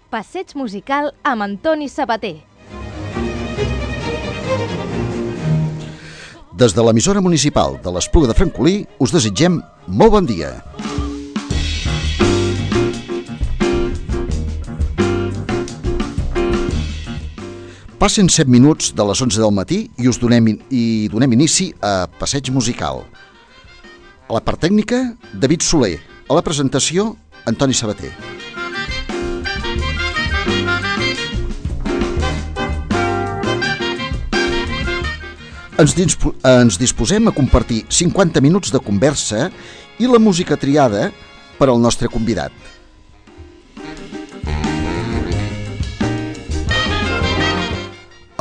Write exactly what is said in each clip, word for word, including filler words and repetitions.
Passeig musical amb Antoni Sabater. Des de l'emissora municipal de l'Espluga de Francolí us desitgem molt bon dia. Passen set minuts de les onze del matí i us donem, i donem inici a Passeig musical. A la part tècnica, David Soler. A la presentació, Antoni Sabater. Ens, dispo- ens disposem a compartir cinquanta minuts de conversa i la música triada per al nostre convidat.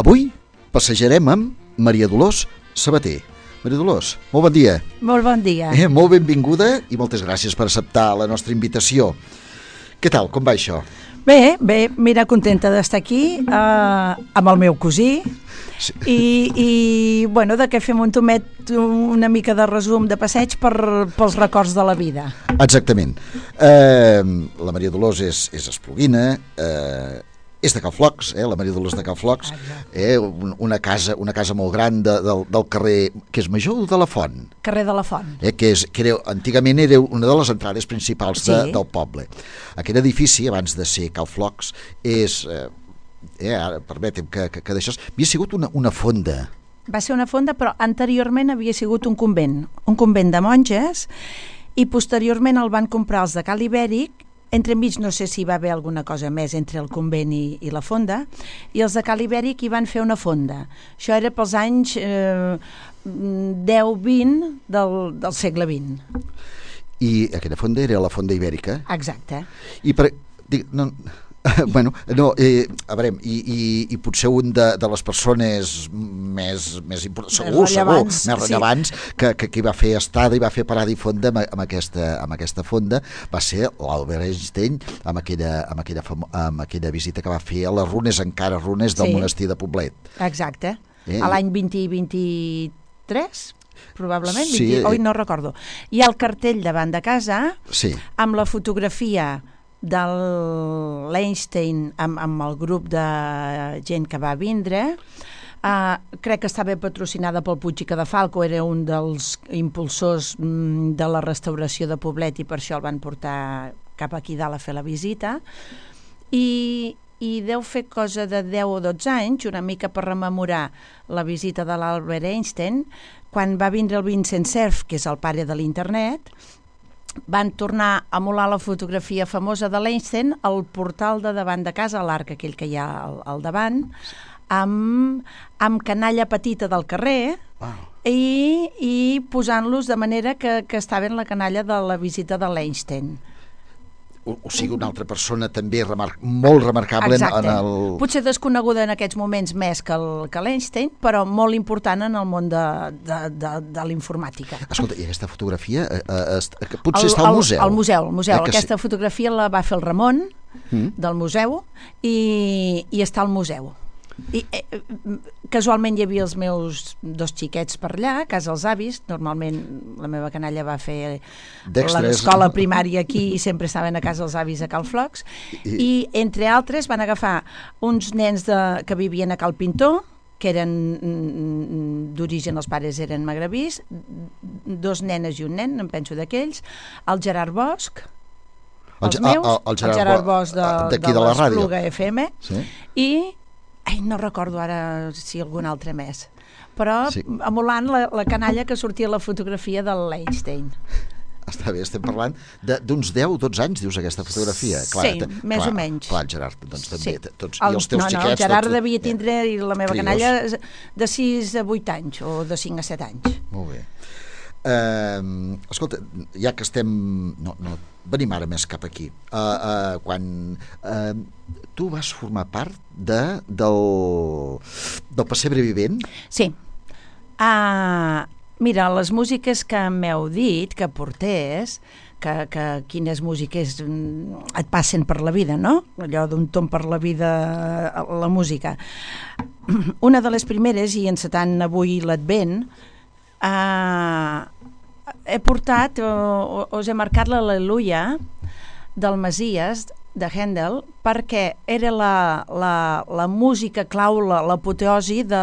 Avui passejarem amb Maria Dolors Sabater. Maria Dolors, molt bon dia. Molt bon dia. Eh, molt benvinguda i moltes gràcies per acceptar la nostra invitació. Què tal, com va això? Bé, bé, mira, contenta d'estar aquí eh, amb el meu cosí sí. i, i bueno, de que fem un tomet una mica de resum de passeig per, pels records de la vida. Exactament. Eh, la Maria Dolors és, és espluguina, eh, és de Calflocs, eh, la Maria Dolors de Calflocs, eh, una, casa, una casa molt gran de, del, del carrer, que és Major de la Font. Carrer de la Font. Eh, que és, que era, antigament era una de les entrades principals de, sí. del poble. Aquest edifici, abans de ser Calflocs, és, eh, eh, ara permetem que, que, que d'això, havia sigut una, una fonda. Va ser una fonda, però anteriorment havia sigut un convent, un convent de monges, i posteriorment el van comprar els de Cal Ibèric. Entremig no sé si hi va haver alguna cosa més entre el convent i, i la fonda, i els de Cal Ibèric hi van fer una fonda. Això era pels anys eh, deu vint del, del segle vint. I aquella fonda era la fonda ibèrica? Exacte. I per... Dic, no, bueno, no, eh, a veure, i, i, i potser un de, de les persones més, més importants, segur, segur, més rellevants, sí. que, que, que va fer estada i va fer parada i fonda amb, amb, aquesta, amb aquesta fonda va ser l'Albert Einstein amb aquella, amb, aquella famo, amb aquella visita que va fer a les runes, encara runes del sí. monestir de Poblet. Exacte, eh? A l'any vint vint-i-tres probablement, sí, vint, oi, no recordo. Hi ha el cartell davant de casa sí. amb la fotografia de l'Einstein amb, amb el grup de gent que va vindre. Uh, crec que estava patrocinada pel Puig i Cadafalco, era un dels impulsors mm, de la restauració de Poblet i per això el van portar cap aquí dalt a fer la visita. I, i deu fer cosa de deu o dotze anys, una mica per rememorar la visita de l'Albert Einstein, quan va vindre el Vincent Cerf, que és el pare de l'internet, van tornar a emular la fotografia famosa de l'Einstein al portal de davant de casa, l'arc aquell que hi ha al, al davant, amb, amb canalla petita del carrer wow. i, i posant-los de manera que, que estaven la canalla de la visita de l'Einstein. O, o sigui, una altra persona també remar molt remarcable en, en el... Potser desconeguda en aquests moments més que, el, que l'Einstein, però molt important en el món de, de, de, de l'informàtica. Escolta, i aquesta fotografia eh, eh, potser el, està al museu? Al museu, al museu. Eh, aquesta sí. fotografia la va fer el Ramon mm. del museu i, i està al museu. I, eh, casualment hi havia els meus dos xiquets per allà, a casa els avis. Normalment la meva canalla va fer l'escola primària aquí i sempre estaven a casa els avis a Calflocs i, i entre altres van agafar uns nens de, que vivien a Cal Pintor, que eren d'origen, els pares eren magrebís, dos nenes i un nen, em penso d'aquells, el Gerard Bosch, els el, meus, el, el, Gerard, el Gerard Bosch de, de, de, de l'Espluga F M sí. i ai, no recordo ara si algun altre més, però sí. emulant la, la canalla que sortia a la fotografia de l'Einstein. Està bé, estem parlant d'uns deu o dotze anys, dius, aquesta fotografia. Clar, sí, te, més clar, o menys. Clar, Gerard, doncs també, sí. tots, el, i els teus no, no, xiquets... el Gerard tots, devia tindre, i la meva trios. canalla, de sis a vuit anys, o de cinc a set anys. Molt bé. Uh, escolta, ja que estem... No, no, venim ara més cap aquí. Uh, uh, quan uh, tu vas formar part de, del, del pessebre vivent? Sí. Uh, mira, les músiques que m'heu dit que portés, que, que quines músiques et passen per la vida, no? Allò d'un tom per la vida, la música. Una de les primeres, i encetant avui l'Advent, eh, he portat, o, us he marcat l'Al·leluia del Masies, de Händel, perquè era la, la, la música clau, l'apoteosi de,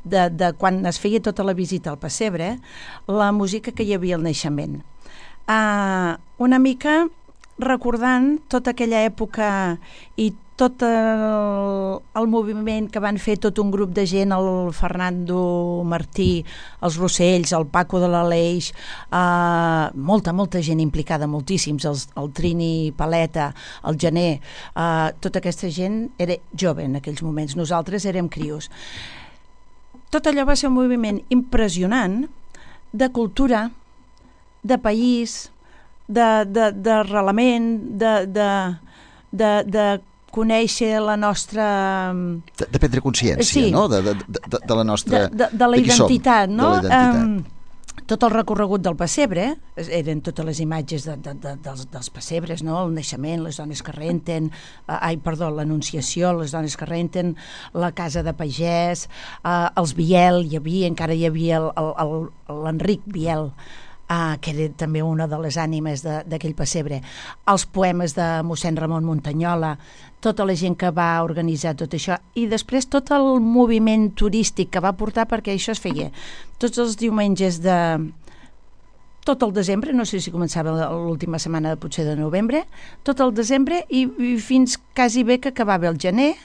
de, de quan es feia tota la visita al pessebre, la música que hi havia al naixement. Uh, una mica recordant tota aquella època i tot el, el moviment que van fer tot un grup de gent, el Fernando Martí, els Rossells, el Paco de l'Aleix, eh, molta, molta gent implicada, moltíssims, els, el Trini Paleta, el Gené, eh, tota aquesta gent era jove en aquells moments, nosaltres érem crios. Tot allò va ser un moviment impressionant de cultura, de país, d'arrelament, de, de, de, de, de conèixer la nostra... De, de prendre consciència, sí. no? De, de, de, de la nostra... De, de, de la identitat, no? De la identitat. Um, tot el recorregut del pessebre, eren totes les imatges de, de, de, dels, dels pessebres, no? El naixement, les dones que renten, uh, ai, perdó, l'anunciació, les dones que renten, la casa de pagès, uh, els Biel, hi havia, encara hi havia l'Enric Biel, Uh, que era també una de les ànimes d'aquell pessebre, els poemes de mossèn Ramon Montanyola, tota la gent que va organitzar tot això, i després tot el moviment turístic que va portar, perquè això es feia tots els diumenges de tot el desembre, no sé si començava l'última setmana potser de novembre, tot el desembre i, i fins quasi bé que acabava el gener,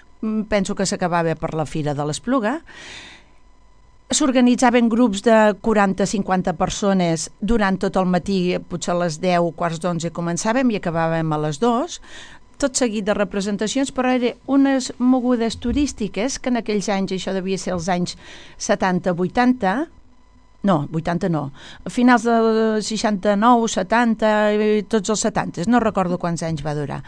penso que s'acabava per la Fira de l'Espluga. S'organitzaven grups de quaranta a cinquanta persones durant tot el matí, potser a les deu, quarts d'onze començàvem i acabàvem a les dues, tot seguit de representacions, però eren unes mogudes turístiques que en aquells anys, això devia ser els anys setanta vuitanta, no, vuitanta no, a finals de seixanta-nou, setanta, tots els setanta, no recordo quants anys va durar.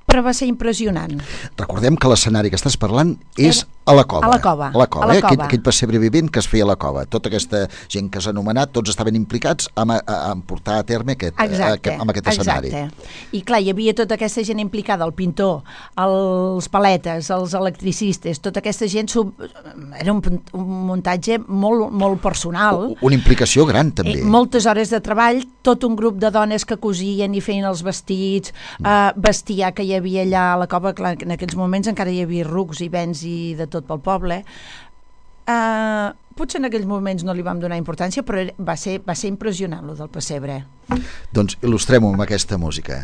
Però va ser impressionant. Recordem que l'escenari que estàs parlant és a la cova. A la cova. A la cova, a la eh? cova. Aquell, aquell pessebre vivent que es feia a la cova. Tota aquesta gent que s'ha anomenat, tots estaven implicats en, en portar a terme aquest, exacte, aquest, amb aquest escenari. Exacte. I clar, hi havia tota aquesta gent implicada, el pintor, els paletes, els electricistes, tota aquesta gent, sub... era un, un muntatge molt, molt personal. Una implicació gran, també. Eh, moltes hores de treball, tot un grup de dones que cosien i feien els vestits, mm. eh, bestiar que hi havia allà a la cova, clar, en aquells moments encara hi havia rucs i vents i de tot pel poble. Uh, potser en aquells moments no li vam donar importància, però va ser, va ser impressionant, lo del pessebre. Doncs il·lustrem-ho amb aquesta música.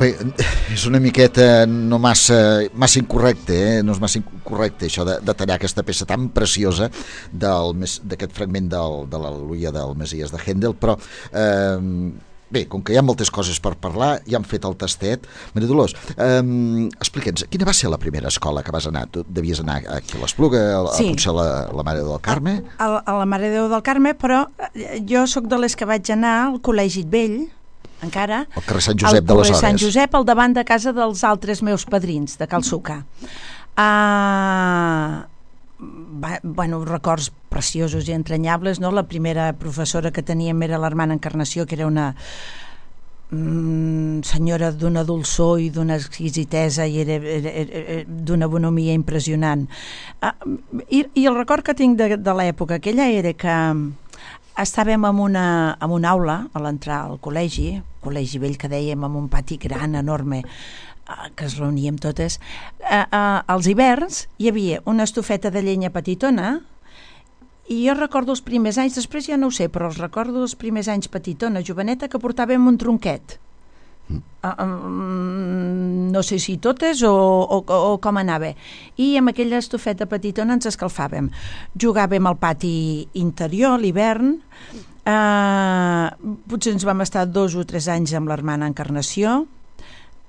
Bé, és una miqueta no massa, massa incorrecte, eh? No és massa incorrecte això de, de tallar aquesta peça tan preciosa d'aquest fragment del, de l'Al·leluia del Messies de Händel, però eh, bé, com que hi ha moltes coses per parlar, ja hem fet el tastet. Maria Dolors, eh, explica'ns, quina va ser la primera escola que vas anar? Tu devies anar aquí a l'Espluga, a, sí. a potser a la, la Mare del Carme? A, a la Mare Déu del Carme, però jo sóc de les que vaig anar al Col·legi Vell, encara, el carrer Sant Josep de les Hores. El carrer Sant Josep, al davant de casa dels altres meus padrins, de Cal Suca. Uh, va, bueno, records preciosos i entranyables, no? La primera professora que teníem era l'Hermana Encarnació, que era una senyora d'una dolçor i d'una exquisitesa i era, era, era d'una bonomia impressionant. I, i el record que tinc de, de l'època aquella era que estàvem en una, en una aula a l'entrar al col·legi, col·legi vell que dèiem, amb un pati gran, enorme, que es reuníem totes. Als hiverns hi havia una estufeta de llenya petitona. I jo recordo els primers anys, després ja no ho sé, però els recordo els primers anys petitona, joveneta, que portàvem un tronquet. Mm. Uh, um, no sé si totes o, o, o com anava. I amb aquella estufeta petitona ens escalfàvem. Jugàvem al pati interior, l'hivern. Uh, potser ens vam estar dos o tres anys amb l'hermana Encarnació.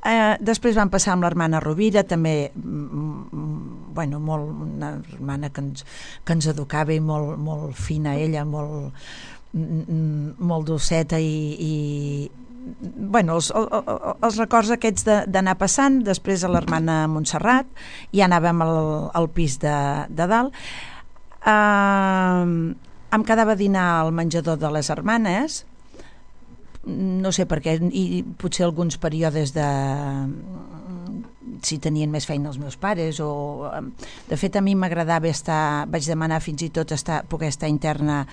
Eh, després vam passar amb l'hermana Rovira, també mm, bueno, molt, una hermana que ens, que ens educava i molt, molt fina ella, molt, mm, molt doceta i, i bueno, els, els, els records aquests d'anar passant. Després a l'hermana Montserrat, ja anàvem al, al pis de, de dalt. Eh, em quedava a dinar al menjador de les hermanes, no sé per què, i potser alguns períodes de si tenien més feina els meus pares o... De fet, a mi m'agradava estar, vaig demanar fins i tot estar, poder estar interna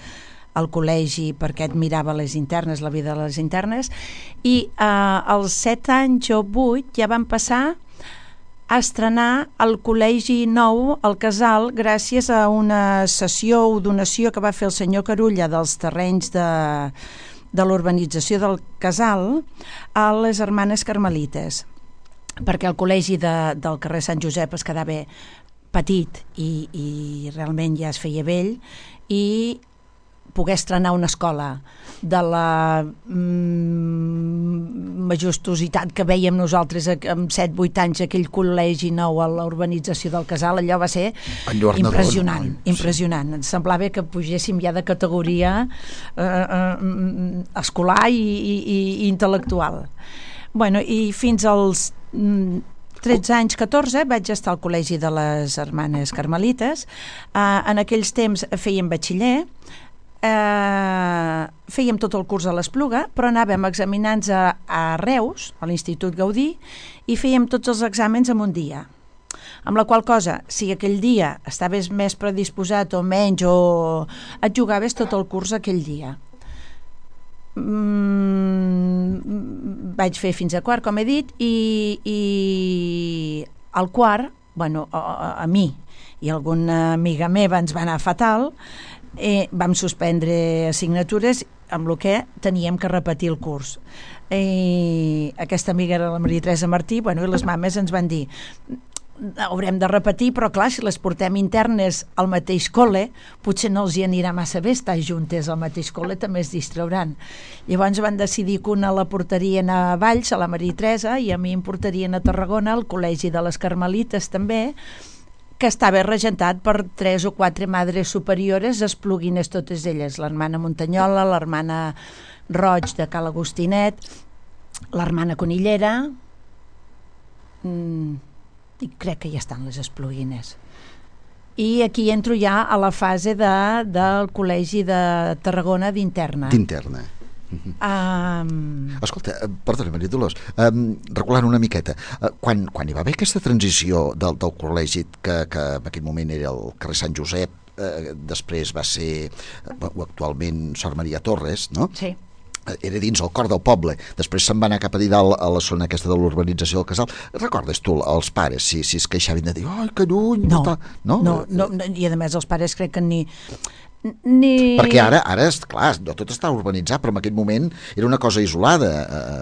al col·legi perquè admirava les internes, la vida de les internes, i eh, als set anys o vuit ja van passar a estrenar el col·legi nou al Casal gràcies a una cessió o donació que va fer el senyor Carulla dels terrenys de de l'urbanització del Casal a les hermanes carmelites, perquè el col·legi de, del carrer Sant Josep es quedava petit i, i realment ja es feia vell, i poder estrenar una escola de la mm, majestuositat que veiem nosaltres amb set vuit anys, aquell col·legi nou a la urbanització del Casal, allò va ser impressionant, no? impressionant. Ens semblava que pugéssim ja de categoria eh, eh, escolar i, i, i intel·lectual. Bueno, i fins als mm, tretze anys, catorze, vaig estar al col·legi de les hermanes carmelites. Eh, en aquells temps fèiem batxiller. Eh, fèiem tot el curs a l'Espluga, però anàvem examinants a, a Reus, a l'Institut Gaudí, i fèiem tots els exàmens en un dia. Amb la qual cosa, si aquell dia estaves més predisposat o menys, o et jugaves tot el curs aquell dia. Mm, vaig fer fins a quart, com he dit, i, i al quart, bueno, a, a, a mi i alguna amiga meva ens va anar fatal. Eh, vam suspendre assignatures amb el que teníem que repetir el curs. Eh, aquesta amiga era la Maria Teresa Martí, bueno, i les mames ens van dir haurem de repetir, però clar, si les portem internes al mateix col·le, potser no els hi anirà massa bé estar juntes al mateix col·le, també es distrauran. Llavors van decidir que una la portarien a Valls, a la Maria Teresa, i a mi em portarien a Tarragona, al col·legi de les Carmelites també, que estava regentat per tres o quatre madres superiores espluguines totes elles, l'hermana Montanyola, l'hermana Roig de Cal Agostinet, l'hermana Conillera, mm, i crec que ja estan les espluguines. I aquí entro ja a la fase de, del col·legi de Tarragona d'interna. D'interna. Um... Escolta, perdona, Maria Dolors, um, regulant una miqueta, uh, quan, quan hi va haver aquesta transició del, del col·legi que, que en aquell moment era el carrer Sant Josep, uh, després va ser uh, actualment Sor Maria Torres, no? Sí. Era dins el cor del poble, després se'n va anar cap a dalt a la zona aquesta de l'urbanització del Casal. Recordes tu els pares si, si es queixaven de dir ai, que lluny, no, no? No, no, no, i a més els pares crec que ni Ni... Perquè ara, ara és clar, no tot està urbanitzat, però en aquell moment era una cosa isolada.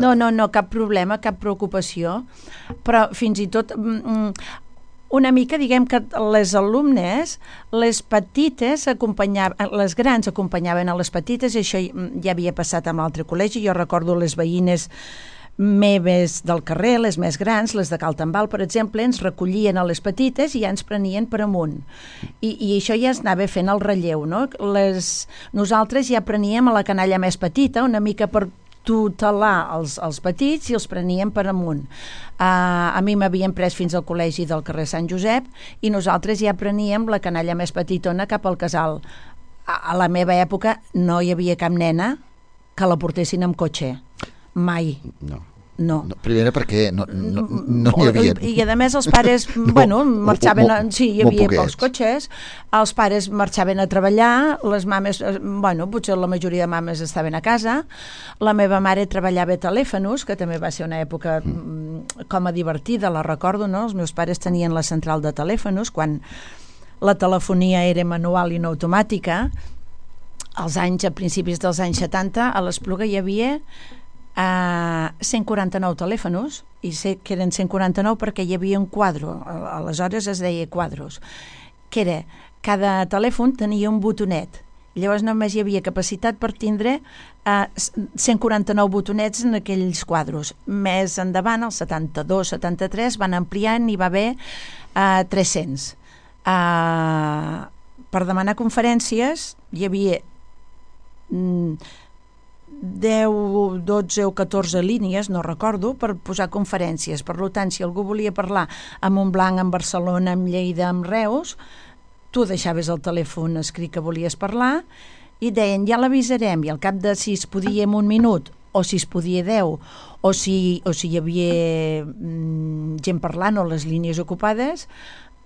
No, no, no, cap problema, cap preocupació, però fins i tot una mica, diguem que les alumnes, les petites acompanyaven, les grans acompanyaven a les petites, i això ja havia passat amb l'altre col·legi. Jo recordo les veïnes meves del carrer, les més grans, les de Cal Tambal, per exemple, ens recollien a les petites i ja ens prenien per amunt. I, i això ja es anava fent el relleu, no? Les, nosaltres ja preníem a la canalla més petita, una mica per tutelar els, els petits, i els preníem per amunt. Uh, a mi m'havien pres fins al col·legi del carrer Sant Josep i nosaltres ja preníem la canalla més petitona cap al Casal. A, a la meva època no hi havia cap nena que la portessin amb cotxe. Mai. No. No. no. Primera perquè no n'hi no, no hi havia. I, I a més els pares, no, bueno, marxaven... A, sí, hi havia pocs cotxes, els pares marxaven a treballar, les mames, bueno, potser la majoria de mames estaven a casa, la meva mare treballava a telèfonos, que també va ser una època mm. com a divertida, la recordo, no? Els meus pares tenien la central de telèfonos, quan la telefonia era manual i no automàtica, als anys, a principis dels anys setanta, a l'Espluga hi havia Uh, cent quaranta-nou telèfonos, i sé que eren cent quaranta-nou perquè hi havia un quadro, aleshores es deia quadros, que era, cada telèfon tenia un botonet, llavors només hi havia capacitat per tindre uh, cent quaranta-nou botonets en aquells quadros. Més endavant, el setanta-dos setanta-tres, van ampliant i va haver uh, tres-cents. Uh, per demanar conferències hi havia mm, deu, dotze o catorze línies, no recordo, per posar conferències. Per tant, si algú volia parlar a Montblanc, en Barcelona, en Lleida, en Reus, tu deixaves el telèfon escrit que volies parlar i deien, ja l'avisarem, i al cap de si es podia en un minut o si es podia deu o si, o si hi havia mm, gent parlant o les línies ocupades,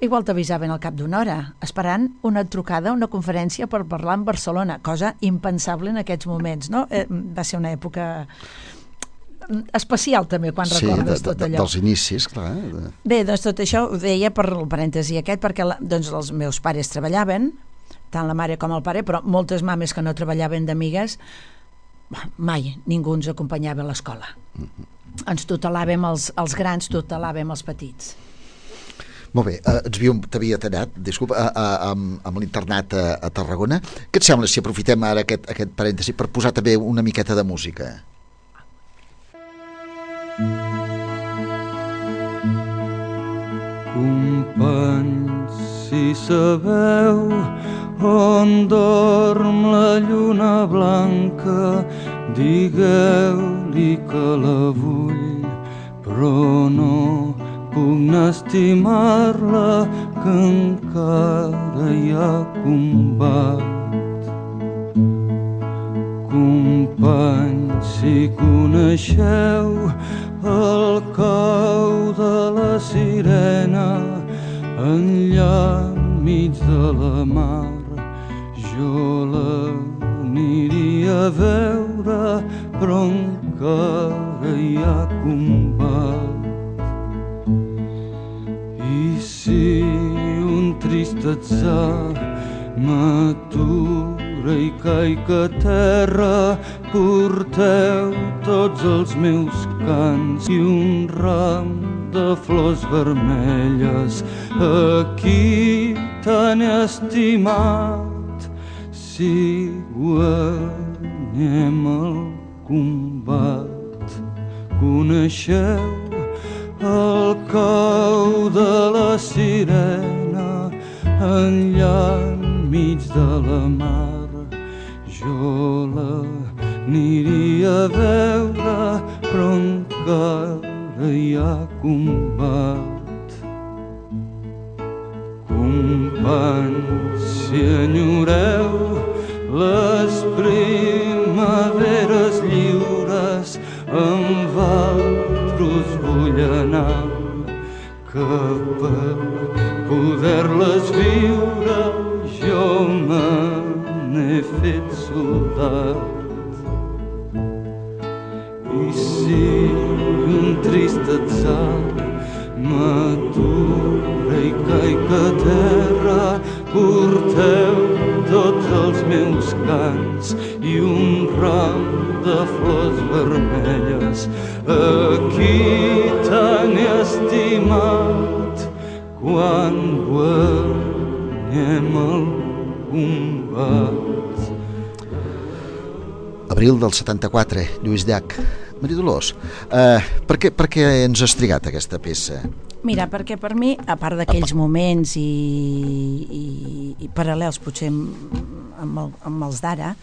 igual t'avisaven al cap d'una hora, esperant una trucada, una conferència per parlar en Barcelona, cosa impensable en aquests moments, no? Eh, va ser una època especial també quan sí, recordes de, de, tot allò. Dels inicis, clar. De... Bé, doncs tot això ho deia per el parèntesi aquest, perquè la, doncs els meus pares treballaven, tant la mare com el pare, però moltes mames que no treballaven d'amigues, mai ningú ens acompanyava a l'escola. Mm-hmm. Ens tutelàvem els, els grans, tutelàvem els petits. Molt bé, eh, ens havíem, t'havia tallat, disculpa, a, a, amb, amb l'internat a, a Tarragona. Què et sembla si aprofitem ara aquest, aquest parèntesi per posar també una miqueta de música? Companys, si sabeu on dorm la lluna blanca, digueu-li que la vull, però no puc estimar-la, que encara hi ha combat. Companys, si coneixeu el cau de la sirena enllà enmig de la mar, jo l'aniria a veure, però encara hi ha combat. I si un trist atzar m'atura i caic a terra, porteu tots els meus cants i un ram de flors vermelles a qui tan he estimat. Si guanyem el combat, coneixeu el cau de la sirena enllà enmig de la mar, jo l'aniria a veure, però encara hi ha combat. Companys, si enyoreu les primaveres lliures, amb vosaltres vull anar, que per poder-les viure jo me n'he fet soldat. I si un trist atzar m'atura i caic a terra, porteu tots els meus cants i un ram de flors vermelles a qui tan he estimat, quan guanyem el combat. Abril del setanta-quatre, Lluís Llach. Maria Dolors, eh, per, què, per què ens has trigat aquesta peça? Mira, perquè per mi, a part d'aquells moments i, i, i paral·lels potser amb, amb, el, amb els d'ara,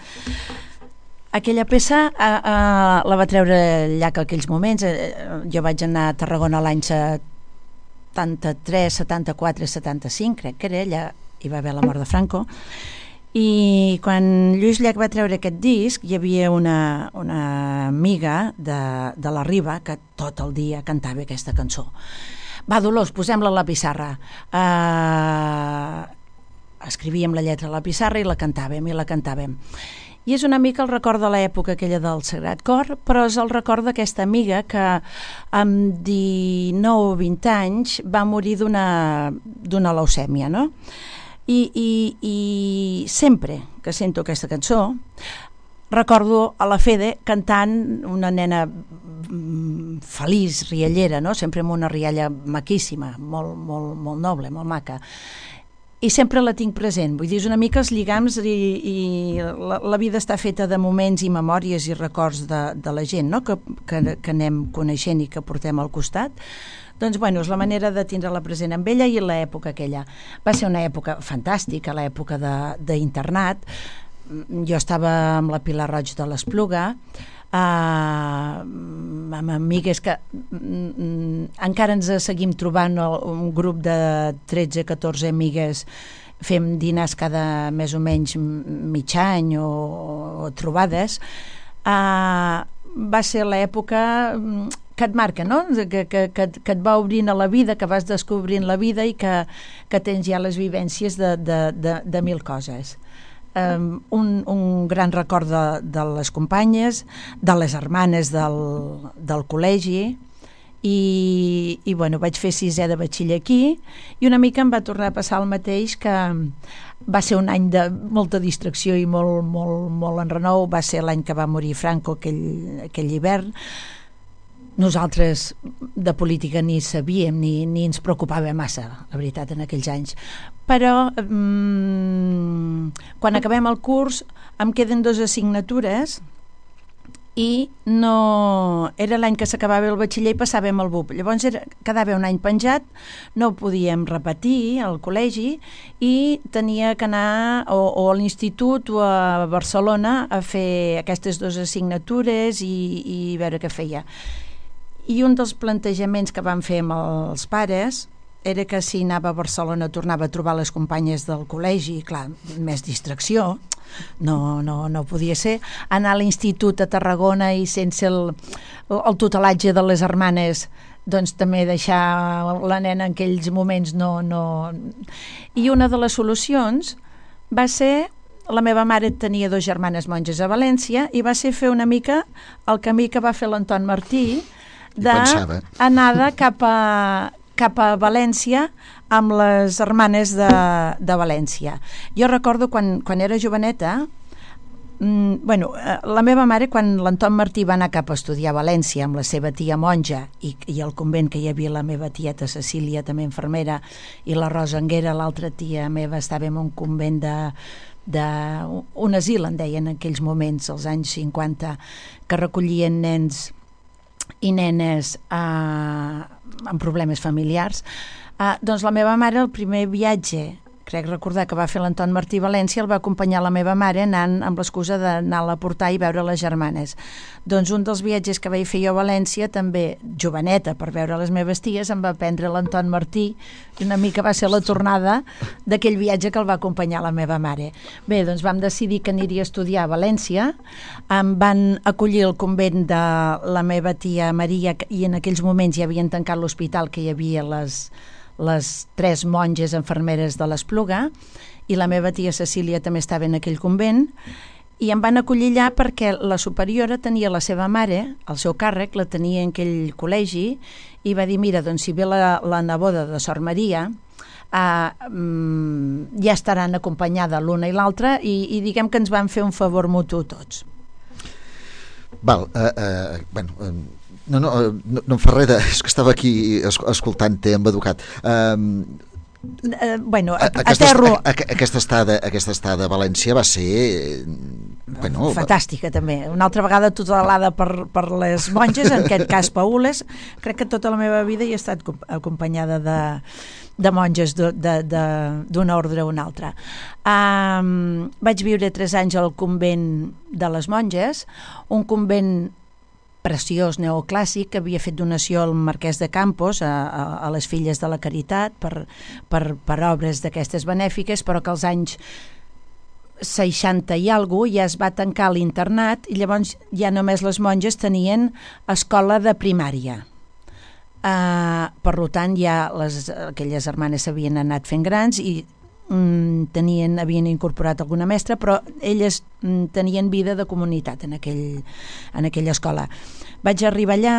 aquella peça eh, eh, la va treure Llach aquells moments. Eh, jo vaig anar a Tarragona l'any setanta-tres, setanta-quatre, setanta-cinc, crec que era, allà hi va haver la mort de Franco, I quan Lluís Llach va treure aquest disc hi havia una, una amiga de, de la Riba que tot el dia cantava aquesta cançó. Va, Dolors, posem-la a la pissarra. Uh, escrivíem la lletra a la pissarra i la cantàvem i la cantàvem. I és una mica el record de l'època aquella del Sagrat Cor, però és el record d'aquesta amiga que amb dinou o vint anys va morir d'una d'una leucèmia, no? I, i, i sempre que sento aquesta cançó recordo a la Fede cantant, una nena feliç, riallera, no? Sempre amb una rialla maquíssima, molt, molt, molt noble, molt maca. I sempre la tinc present, vull dir, és una mica els lligams i, i la, la vida està feta de moments i memòries i records de, de la gent, no? que, que, que anem coneixent i que portem al costat. Doncs, bueno, és la manera de tindre-la present amb ella i l'època aquella. Va ser una època fantàstica, l'època d'internat. Jo estava amb la Pilar Roig de l'Espluga, Uh, amb amigues que mm, encara ens seguim trobant un grup de tretze catorze amigues, fem dinars cada més o menys mig any o, o trobades. Uh, va ser l'època que et marca, no? que, que, que, que et va obrint a la vida, que vas descobrint la vida i que, que tens ja les vivències de, de, de, de mil coses. Um, un, un gran record de, de les companyes, de les germanes del, del col·legi i, i bueno, vaig fer sisè de batxiller aquí i una mica em va tornar a passar el mateix, que va ser un any de molta distracció i molt, molt, molt enrenou. Va ser l'any que va morir Franco, aquell, aquell hivern. Nosaltres de política ni sabíem ni, ni ens preocupava massa, la veritat, en aquells anys. Però mmm, quan acabem el curs em queden dues assignatures i no... era l'any que s'acabava el batxiller i passàvem al B U P. Llavors era, quedava un any penjat, no podíem repetir al col·legi i tenia que anar o, o a l'institut o a Barcelona a fer aquestes dues assignatures i, i veure què feia. I un dels plantejaments que vam fer amb els pares era que si anava a Barcelona tornava a trobar les companyes del col·legi, clar, més distracció, no, no, no podia ser. Anar a l'institut a Tarragona i sense el, el tutelatge de les germanes, doncs també deixar la nena en aquells moments no, no... I una de les solucions va ser... La meva mare tenia dos germanes monges a València i va ser fer una mica el camí que va fer l'Anton Martí, d'anada cap a, cap a València amb les germanes de, de València. Jo recordo quan, quan era joveneta, mmm, bueno, la meva mare, quan l'Anton Martí va anar cap a estudiar a València amb la seva tia monja i, i el convent que hi havia la meva tieta Cecília, també infermera, i la Rosa Anguera, l'altra tia meva, estava en un convent de de un asil, en deien en aquells moments, als anys cinquanta, que recollien nens i nenes eh, amb problemes familiars. Eh, doncs la meva mare, el primer viatge, crec recordar que va fer l'Anton Martí a València, el va acompanyar la meva mare anant amb l'excusa d'anar-la a portar i veure les germanes. Doncs un dels viatges que vaig fer jo a València, també joveneta, per veure les meves ties, em va prendre l'Anton Martí i una mica va ser la tornada d'aquell viatge que el va acompanyar la meva mare. Bé, doncs vam decidir que aniria a estudiar a València, em van acollir al convent de la meva tia Maria i en aquells moments ja havien tancat l'hospital, que hi havia les... les tres monges enfermeres de l'Espluga i la meva tia Cecília també estava en aquell convent i em van acollir allà perquè la superiora tenia la seva mare, el seu càrrec, la tenia en aquell col·legi i va dir, mira, doncs si ve la, la neboda de Sor Maria uh, um, ja estaran acompanyada l'una i l'altra i, i diguem que ens van fer un favor mutu tots. Val, uh, uh, bueno... Uh... No, no, no, no em fa res de... És que estava aquí escoltant-te amb educat. Um, uh, bueno, a, aquesta, aterro... A, a, aquesta, estada, aquesta estada a València va ser... Bueno, fantàstica, va... també. Una altra vegada tutelada per, per les monges, en aquest cas paules. Crec que tota la meva vida hi he estat acompanyada de, de monges d'un ordre o un altre. Um, vaig viure tres anys al convent de les monges, un convent preciós neoclàssic que havia fet donació al Marquès de Campos a, a, a les Filles de la Caritat per, per, per obres d'aquestes benèfiques, però que als anys seixanta i alguna cosa ja es va tancar l'internat i llavors ja només les monges tenien escola de primària. Uh, per tant, ja les, aquelles germanes s'havien anat fent grans i mm, tenien, havien incorporat alguna mestra, però elles mm, tenien vida de comunitat en, aquell, en aquella escola. Vaig arribar allà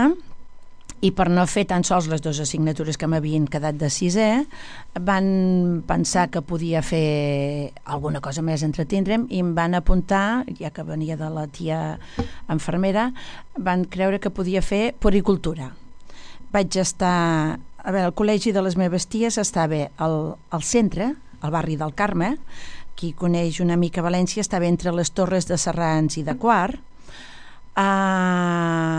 i per no fer tan sols les dues assignatures que m'havien quedat de sisè, van pensar que podia fer alguna cosa més, entretindre'm, i em van apuntar, ja que venia de la tia infermera, van creure que podia fer puericultura. Vaig estar... A veure, el col·legi de les meves ties estava al, al centre, al barri del Carme. Qui coneix una mica València, estava entre les torres de Serrans i de Quart, a,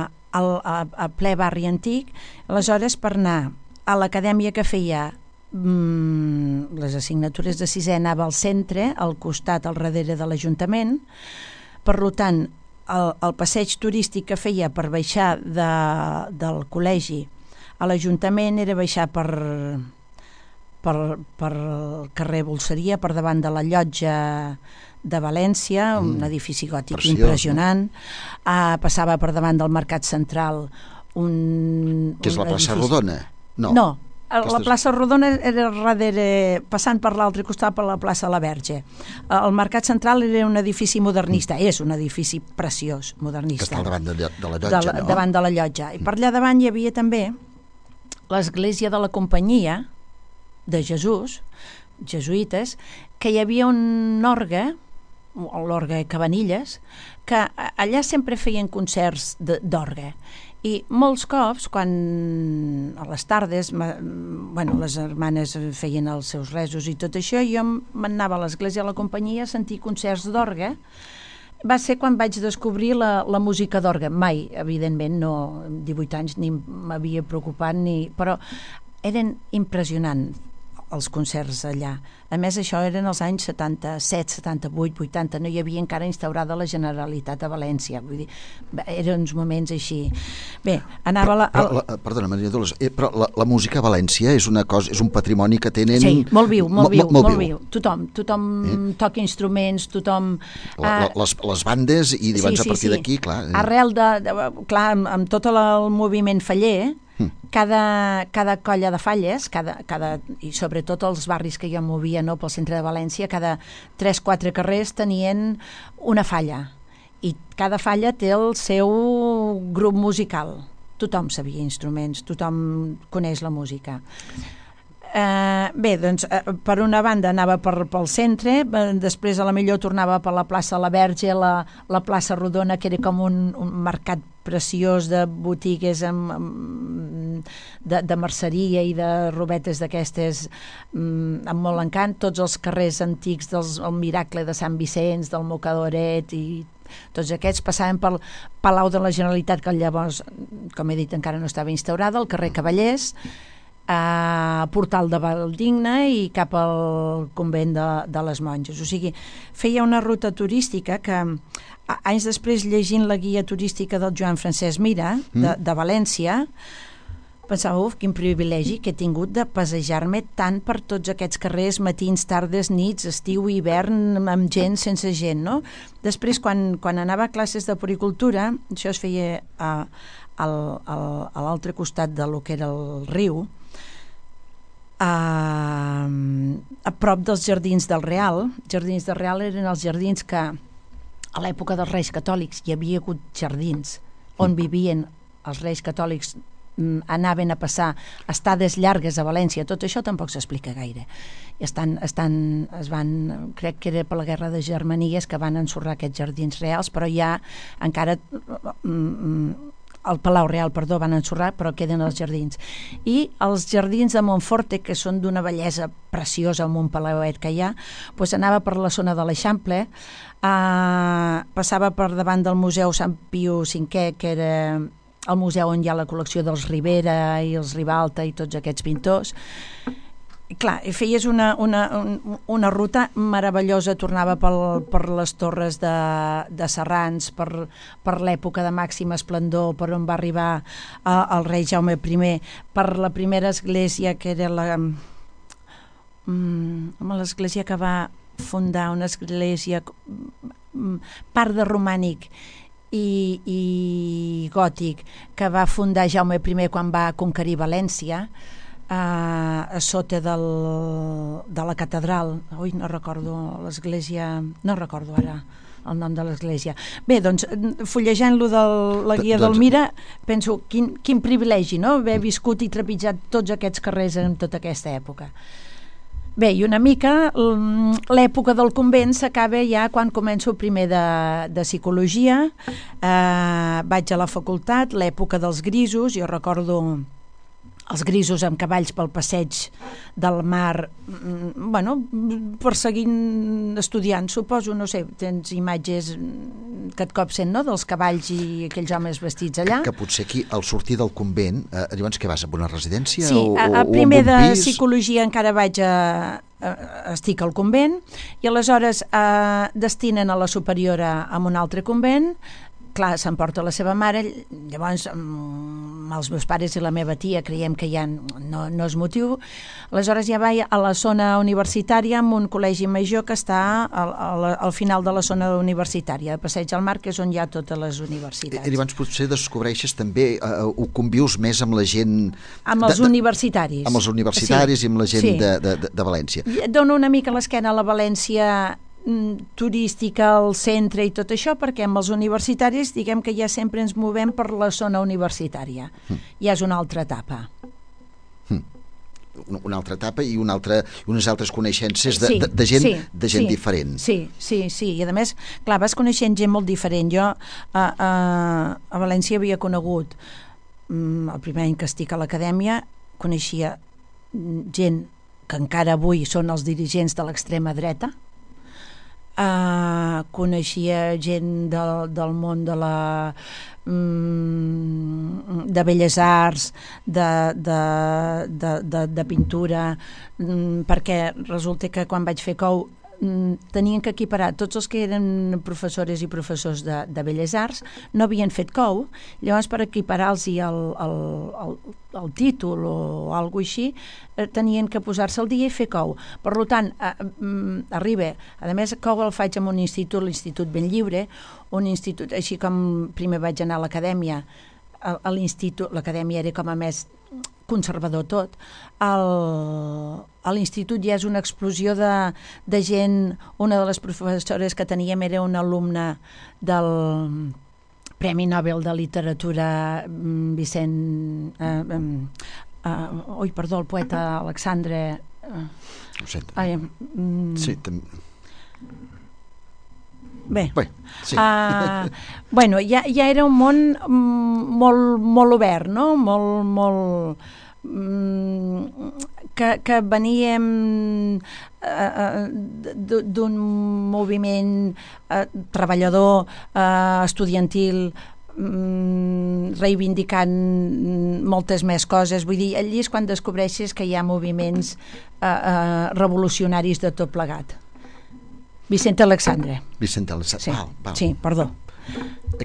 a, a ple barri antic. Aleshores, per anar a l'acadèmia que feia mmm, les assignatures de sisè, anava al centre, al costat, al darrere de l'Ajuntament. Per tant, el, el passeig turístic que feia per baixar de, del col·legi a l'Ajuntament era baixar per, per, per el carrer Bolseria, per davant de la llotja de València, mm. un edifici gòtic preciós, impressionant. No? Uh, passava per davant del Mercat Central un... Que és un la plaça edifici... Rodona? No. No. La plaça Rodona era darrere, passant per l'altre costat per la plaça La Verge. El Mercat Central era un edifici modernista, mm. és un edifici preciós, modernista. Que està al davant de, de la llotja, de, no? Davant de la llotja. I per allà davant hi havia també l'església de la Companyia de Jesús, jesuïtes, que hi havia un orgue, l'orgue Cabanilles, que allà sempre feien concerts d'orgue. I molts cops, quan a les tardes, bueno, les hermanes feien els seus resos i tot això, jo m'anava a l'església de la Companyia a sentir concerts d'orgue. Va ser quan vaig descobrir la, la música d'orgue. Mai, evidentment, no, amb divuit anys ni m'havia preocupat, ni, però eren impressionants els concerts allà. A més, això eren els anys setanta-set, setanta-vuit, vuitanta, no hi havia encara instaurada la Generalitat a València, vull dir, eren uns moments així. Bé, anava... Però, la, però, la, perdona, Maria Dolors, eh, però la, la música a València és una cosa, és un patrimoni que tenen... Sí, molt viu, molt viu, molt, molt viu. viu. Tothom, tothom eh? toca instruments, tothom... La, la, les, les bandes, i llavors sí, sí, a partir sí. d'aquí, clar... Eh. Arrel de, de... Clar, amb, amb tot el moviment faller, Cada, cada colla de falles, cada, cada, i sobretot els barris que jo movia, no, pel centre de València, cada tres quatre carrers tenien una falla. I cada falla té el seu grup musical. Tothom sabia instruments, tothom coneix la música. Uh, bé, doncs, uh, per una banda anava per, pel centre, uh, després a la millor tornava per la plaça La Verge, la, la plaça Rodona, que era com un, un mercat preciós de botigues amb, amb, de, de merceria i de robetes d'aquestes um, amb molt encant, tots els carrers antics del el Miracle de Sant Vicenç, del Mocadoret i tots aquests passaven pel Palau de la Generalitat, que llavors, com he dit, encara no estava instaurada, el carrer Cavallers, a Portal de Valdigne i cap al convent de, de les monges. O sigui, feia una ruta turística que anys després, llegint la guia turística del Joan Francesc Mira de, de València, pensava, uf, quin privilegi que he tingut de passejar-me tant per tots aquests carrers, matins, tardes, nits, estiu, hivern, amb gent, sense gent, no? Després, quan, quan anava a classes de puericultura, això es feia a, al, al, a l'altre costat de lo que era el riu, a, a prop dels Jardins del Real. Jardins del Real eren els jardins que a l'època dels Reis Catòlics hi havia hagut jardins on vivien els Reis Catòlics, anaven a passar estades llargues a València. Tot això tampoc s'explica gaire. Estan, estan, es van, crec que era per la Guerra de Germanies que van ensorrar aquests jardins reals, però ja encara el Palau Real, perdó, van ensorrar, però queden els jardins. I els jardins de Montforte, que són d'una bellesa preciosa, amb un palauet que hi ha, doncs anava per la zona de l'Eixample, eh, passava per davant del Museu Sant Piu cinquè, que era el museu on hi ha la col·lecció dels Ribera i els Ribalta i tots aquests pintors. Clar, feies una, una, una ruta meravellosa, tornava pel, per les torres de, de Serrans, per, per l'època de màxim esplendor, per on va arribar eh, el rei Jaume I, per la primera església, que era la, mm, l'església que va fundar una església, part de romànic i, i gòtic, que va fundar Jaume I quan va conquerir València, a, a sota del, de la catedral. Ui, no recordo l'església, no recordo ara el nom de l'església. Bé, doncs, fullejant-lo de la guia del Mira, penso, quin, quin privilegi, no?, haver viscut i trepitjat tots aquests carrers en tota aquesta època. Bé, i una mica l'època del convent s'acaba ja quan començo primer de, de psicologia, eh, vaig a la facultat, l'època dels grisos, jo recordo els grisos amb cavalls pel passeig del mar, bueno, perseguint estudiants, suposo, no sé, tens imatges que et copsen, no?, dels cavalls i aquells homes vestits allà. Que, que potser aquí, al sortir del convent, eh, llavors què vas, a una residència? Sí, o, a, a o primer de pis? psicologia encara vaig a, a, estic al convent, i aleshores eh, destinen a la superiora a un altre convent. Clar, s'emporta la seva mare, llavors amb els meus pares i la meva tia creiem que ja no, no és motiu, aleshores ja vaig a la zona universitària amb un col·legi major que està al, al, al final de la zona universitària, de Passeig al Mar, que és on hi ha totes les universitats. I llavors potser descobreixes també, eh, ho convius més amb la gent... Amb els de, universitaris. Amb els universitaris, sí, i amb la gent sí. de, de, de València. Dono una mica l'esquena a la València turística, al centre i tot això, perquè amb els universitaris diguem que ja sempre ens movem per la zona universitària. Mm. Ja és una altra etapa. Mm. Una altra etapa i una altra, unes altres coneixences de, sí, de, de gent, sí, de gent sí, diferent. Sí, sí, sí. I a més, clar, vas coneixent gent molt diferent. Jo a, a, a València havia conegut, el primer any que estic a l'acadèmia, coneixia gent que encara avui són els dirigents de l'extrema dreta. Uh, coneixia gent del, del món de la um, de belles arts, de, de, de, de, de pintura, um, perquè resulta que quan vaig fer cou um, tenien que equiparar tots els que eren professores i professors de, de belles arts, no havien fet cou, llavors per equiparar-los el, el, el, el títol o alguna així, eh, tenien que posar-se al dia i fer cou. Per tant, eh, arriba, a més cou el faig en un institut, l'Institut Benlliure, un institut, així com primer vaig anar a l'acadèmia, a, a l'institut, l'acadèmia era com a més conservador tot, el, a l'institut ja és una explosió de, de gent. Una de les professores que teníem era una alumna del Premi Nobel de Literatura Vicent eh, eh, ui, perdó, el poeta Alexandre eh, ho sento. Ai, mm, sí, també Bé, Bé sí. uh, bueno, ja, ja era un món molt, molt obert, no? Molt, molt mm, que, que veníem uh, d'un moviment uh, treballador, uh, estudiantil, mm, reivindicant moltes més coses. Vull dir, allí és quan descobreixes que hi ha moviments uh, uh, revolucionaris de tot plegat. Vicent Alexandre. Vicent Alexandre, sí. val, val. Sí, perdó.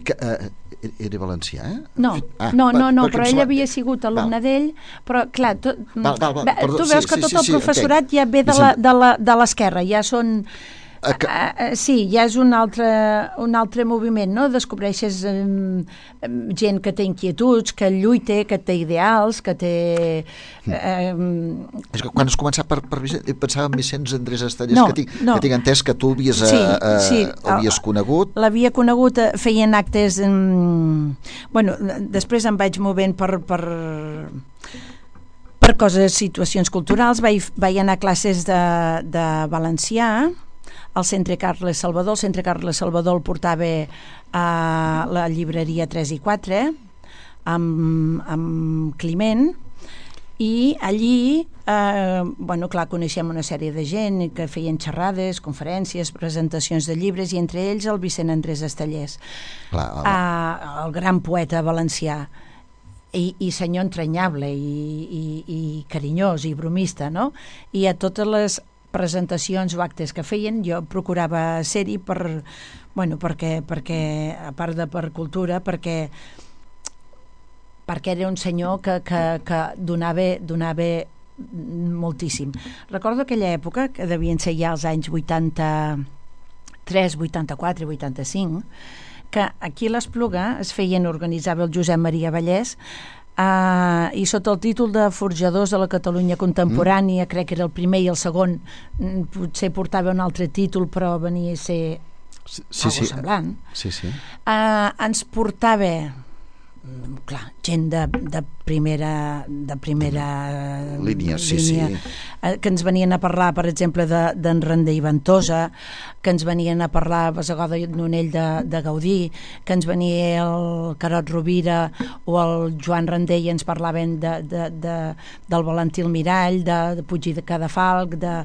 Que, uh, era valencià, eh? No, ah, no, no, no, per, però ell havia sigut alumne d'ell, però clar, tu, val, val, val, perdó, tu veus sí, que tot sí, el sí, professorat entenc. ja ve de, la, de, la, de l'esquerra, ja són... Uh, que... uh, sí, ja és un altre, un altre moviment, no? Descobreixes um, gent que té inquietuds, que lluita, que té ideals, que té... Um... És que quan has començat per, per Vicent, pensava en Vicenç Andrés Estellers, no, que, tinc, no. que tinc entès que tu havies, sí, uh, sí. havies conegut. L'havia conegut, feien actes... Um... Bueno, després em vaig movent per... per... per coses, situacions culturals, vaig, vaig anar a classes de, de valencià al Centre Carles Salvador. El Centre Carles Salvador el portava a la llibreria tres i quatre amb, amb Climent, i allí eh, bueno, clar, coneixem una sèrie de gent que feien xerrades, conferències, presentacions de llibres, i entre ells el Vicent Andrés Estellers, clar, el... Eh, el gran poeta valencià. I, i senyor entranyable i, i, i carinyós i bromista, no? I a totes les presentacions o actes que feien jo procurava ser-hi per, bueno, perquè, perquè a part de per cultura, perquè perquè era un senyor que, que, que donava, donava moltíssim. Recordo aquella època, que devien ser ja els anys vuitanta-tres, vuitanta-quatre, vuitanta-cinc, que aquí a l'Espluga es feien, organitzava el Josep Maria Vallès, Uh, i sota el títol de Forjadors de la Catalunya Contemporània, mm. crec que era el primer i el segon, potser portava un altre títol, però venia a ser sí, sí, algo semblant. Sí, sí. Uh, ens portava, clar, gent de, de primera de primera línia, sí, línia sí. Uh, que ens venien a parlar, per exemple, d'en Randé i Ventosa, que ens venien a parlar a Bassegoda i Nonell de, de Gaudí, que ens venia el Carot Rovira o el Joan Randé i ens parlaven de, de, de, del Valentí Almirall, de, de Puig i de Cadafalc, de...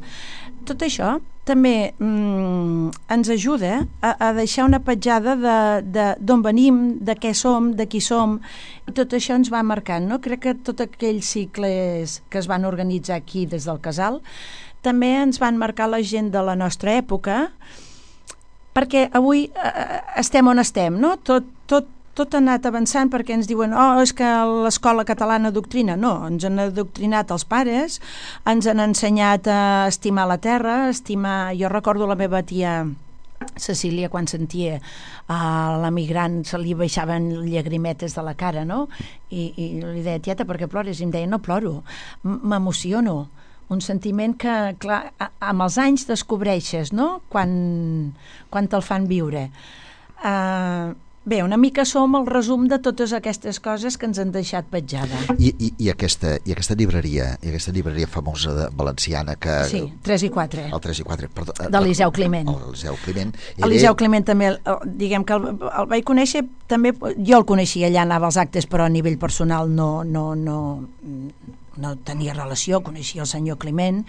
Tot això també mm, ens ajuda a, a deixar una petjada d'on venim, de què som, de qui som, i tot això ens va marcant, no? Crec que tots aquells cicles que es van organitzar aquí des del Casal també ens van marcar la gent de la nostra època, perquè avui eh, estem on estem, no? Tot, tot tot ha anat avançant, perquè ens diuen oh, és que l'escola catalana adoctrina. No, ens han adoctrinat els pares, ens han ensenyat a estimar la terra, a estimar... Jo recordo la meva tia Cecília, quan sentia a l'emigrant se li baixaven llagrimetes de la cara, no? I, i li deia, tieta, per què plores? I em deia, no ploro, m'emociono. Un sentiment que, clar, amb els anys descobreixes, no? Quan, quan te'l fan viure. Uh, Bé, una mica som el resum de totes aquestes coses que ens han deixat petjada. I, i, i, aquesta, i aquesta llibreria, i aquesta llibreria famosa de, valenciana que... Sí, tres i quatre. El tres i quatre, perdó. De l'Eliseu Climent. L'Eliseu Climent. L'Eliseu Climent també, diguem que el, el vaig conèixer, també, jo el coneixia, allà anava als actes, però a nivell personal no... no, no no tenia relació, coneixia el senyor Climent,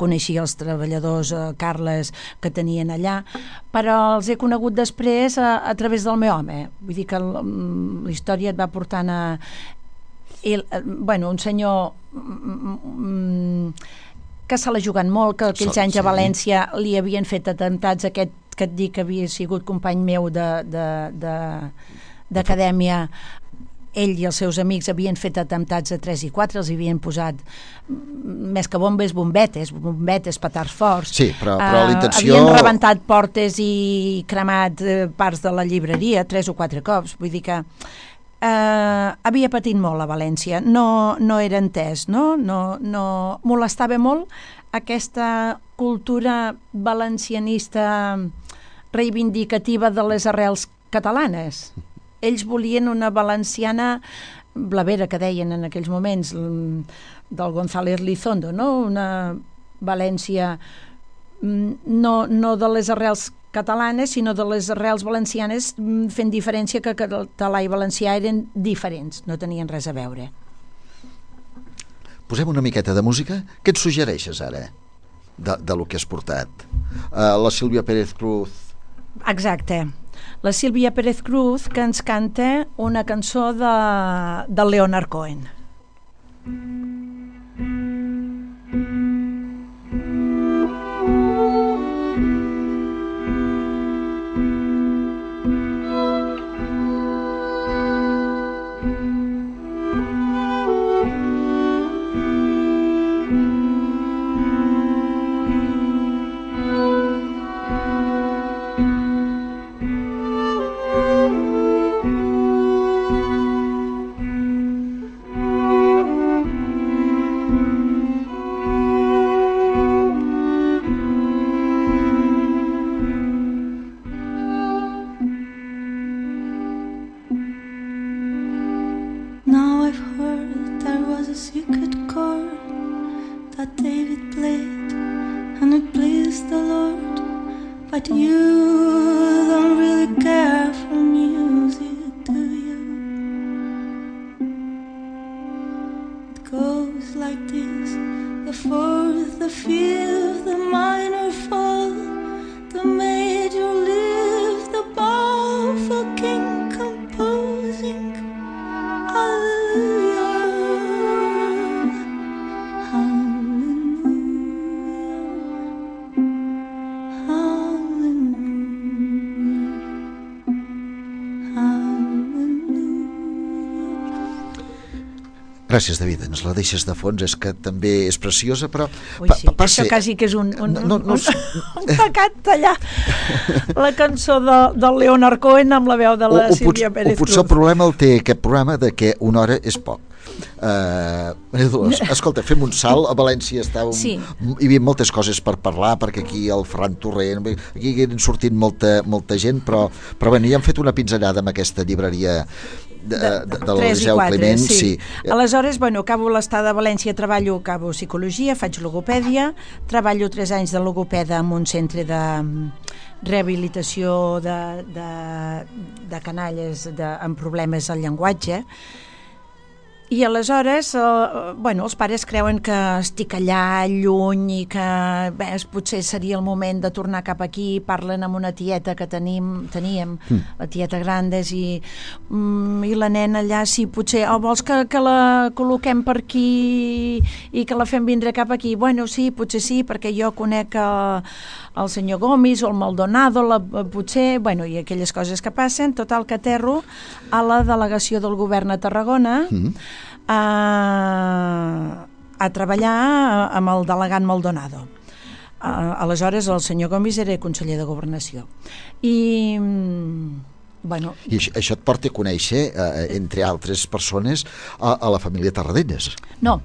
coneixia els treballadors eh, Carles que tenien allà, però els he conegut després a, a través del meu home. Vull dir que el, la història et va portant a... El, bueno, un senyor mm, que se l'ha jugat molt, que aquells anys a València li havien fet atemptats, aquest que et dic que havia sigut company meu d'acadèmia. Ell i els seus amics havien fet atemptats a tres i quatre, els havien posat més que bombes, bombetes, bombetes, petards forts. Sí, però, però la intenció... Havien rebentat portes i cremat parts de la llibreria tres o quatre cops. Vull dir que eh, havia patit molt a València. No, no era entès, no? No, no... Molestava molt aquesta cultura valencianista reivindicativa de les arrels catalanes. Ells volien una valenciana blavera, que deien en aquells moments, del González Lizondo, no? Una València no, no de les arrels catalanes, sinó de les arrels valencianes, fent diferència que català i valencià eren diferents, no tenien res a veure. Posem una miqueta de música. Què et suggereixes ara, de, de lo que has portat? Uh, la Sílvia Pérez Cruz. Exacte. La Sílvia Pérez Cruz, que ens canta una cançó de, de Leonard Cohen. Gràcies, David, ens la deixes de fons, és que també és preciosa, però... Ui, sí, pa això quasi que és un, un, no, no, un, un pecat tallar la cançó de, del Leonard Cohen amb la veu de la o, Sílvia o Pérez Cruz. O potser el problema el té aquest programa de que una hora és poc. Uh, Dolors, escolta, fem un salt. A València està un, sí. Hi havia moltes coses per parlar, perquè aquí el Ferran Torrent, aquí han sortit molta, molta gent, però, però bueno, ja hem fet una pinzellada amb aquesta llibreria de, de, de, de l'Eliseu Climent. Sí. Sí. Aleshores, bueno, acabo l'estada a València, treballo, acabo psicologia, faig logopèdia, treballo tres anys de logopeda en un centre de rehabilitació de, de, de canalles de, amb problemes al llenguatge. I aleshores, eh, bueno, els pares creuen que estic allà lluny i que bé, potser seria el moment de tornar cap aquí. Parlen amb una tieta que tenim, teníem, mm. la tieta Grandes, i, mm, i la nena allà, sí, potser, oh, vols que, que la col·loquem per aquí i que la fem vindre cap aquí? Bueno, sí, potser sí, perquè jo conec el, el senyor Gomis o el Maldonado, la, potser, bueno, i aquelles coses que passen. Total, que aterro a la delegació del govern a Tarragona, mm. A, a treballar amb el delegat Maldonado. A, aleshores el senyor Gomis era conseller de Governació i bueno, i això, això et porta a conèixer eh, entre altres persones a, a la família Tarradellas. No,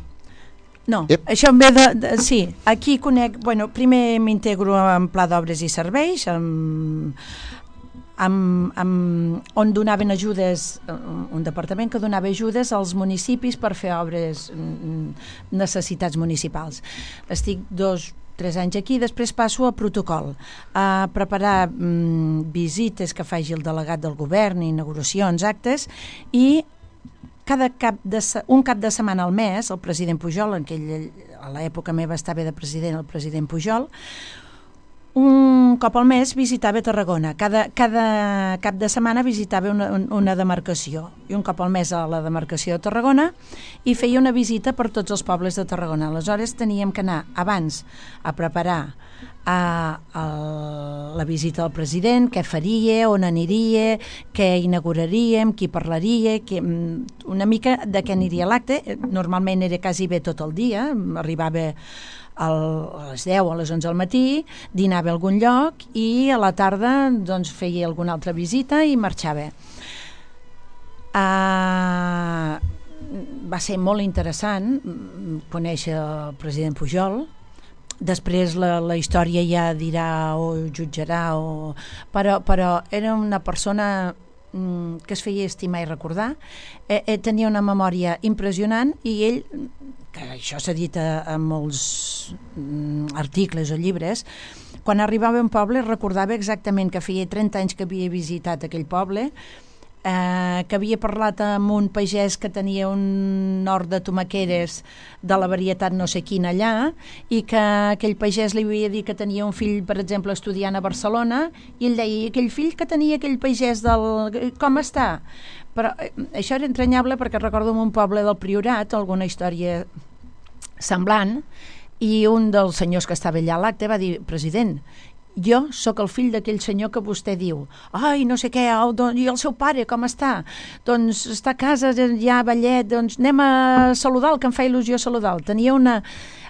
no, Ep. això em ve de, de sí, aquí conec, bueno, primer m'integro en pla d'obres i serveis, amb Amb, amb, on donaven ajudes, un departament que donava ajudes als municipis per fer obres, necessitats municipals. Estic dos, tres anys aquí, després passo a protocol, a preparar mm, visites que faci el delegat del govern, inauguracions, actes, i cada cap de, un cap de setmana al mes, el president Pujol, en aquell, a l'època meva estava de president el president Pujol, un cop al mes visitava Tarragona. Cada, cada cap de setmana visitava una, una demarcació, i un cop al mes a la demarcació de Tarragona, i feia una visita per tots els pobles de Tarragona. Aleshores teníem que anar abans a preparar a, a la visita del president, què faria, on aniria, què inauguraríem, qui parlaria, qui, una mica de què aniria l'acte. Normalment era quasi bé tot el dia, arribava a les deu o a les onze del matí, dinava a algun lloc i a la tarda doncs, feia alguna altra visita i marxava. Uh, va ser molt interessant conèixer el president Pujol. Després la, la història ja dirà o jutjarà, o... Però, però era una persona que es feia estimar i recordar. Eh, eh, tenia una memòria impressionant, i ell, que això s'ha dit a, a molts mm, articles o llibres, quan arribava a un poble recordava exactament que feia trenta anys que havia visitat aquell poble, eh, que havia parlat amb un pagès que tenia un hort de tomaqueres de la varietat no sé quina allà, i que aquell pagès li havia dit que tenia un fill, per exemple, estudiant a Barcelona, i ell deia, aquell fill que tenia aquell pagès del... com està? Però eh, això era entranyable, perquè recordo en un poble del Priorat alguna història semblant, i un dels senyors que estava allà a l'acte va dir, president, jo sóc el fill d'aquell senyor que vostè diu, ai, no sé què, oh, don, i el seu pare, com està? Doncs està a casa, ja a ballet, doncs anem a saludar-lo, que em fa il·lusió saludar-lo. Tenia una